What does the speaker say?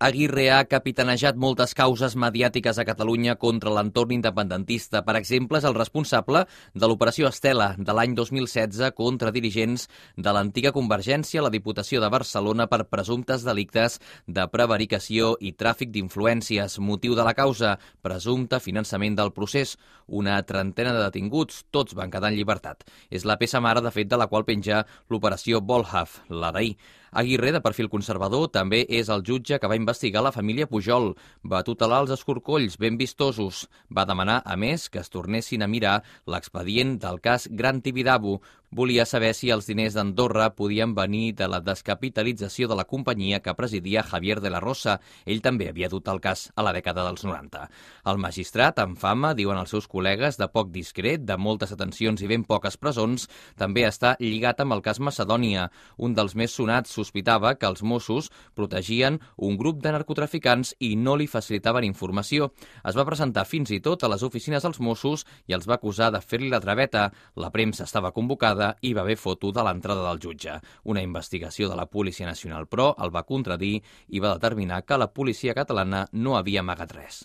Aguirre ha capitanejat moltes causes mediàtiques a Catalunya contra l'entorn independentista. Per exemple, és el responsable de l'operació Estela de l'any 2016 contra dirigents de l'antiga Convergència a la Diputació de Barcelona per presumptes delictes de prevaricació i tràfic d'influències. Motiu de la causa, presumpte finançament del procés. Una trentena de detinguts, tots van quedar en llibertat. És la peça mare, de fet, de la qual penja l'operació Volhov, la d'ahir. Aguirre, de perfil conservador, també és el jutge que va investigar la família Pujol, va tutelar els escorcolls ben vistosos, va demanar, a més, que es tornessin a mirar l'expedient del cas Gran Tibidabo. Volia saber si els diners d'Andorra podien venir de la descapitalització de la companyia que presidia Javier de la Rosa. Ell també havia dut el cas a la dècada dels 90. El magistrat, amb fama, diuen els seus col·legues, de poc discret, de moltes atencions i ben poques presons, també està lligat amb el cas Macedònia. Un dels més sonats sospitava que els Mossos protegien un grup de narcotraficants i no li facilitaven informació. Es va presentar fins i tot a les oficines dels Mossos i els va acusar de fer-li la traveta. La premsa estava convocada i va haver foto de l'entrada del jutge. Una investigació de la Policia Nacional, però, el va contradir i va determinar que la policia catalana no havia amagat res.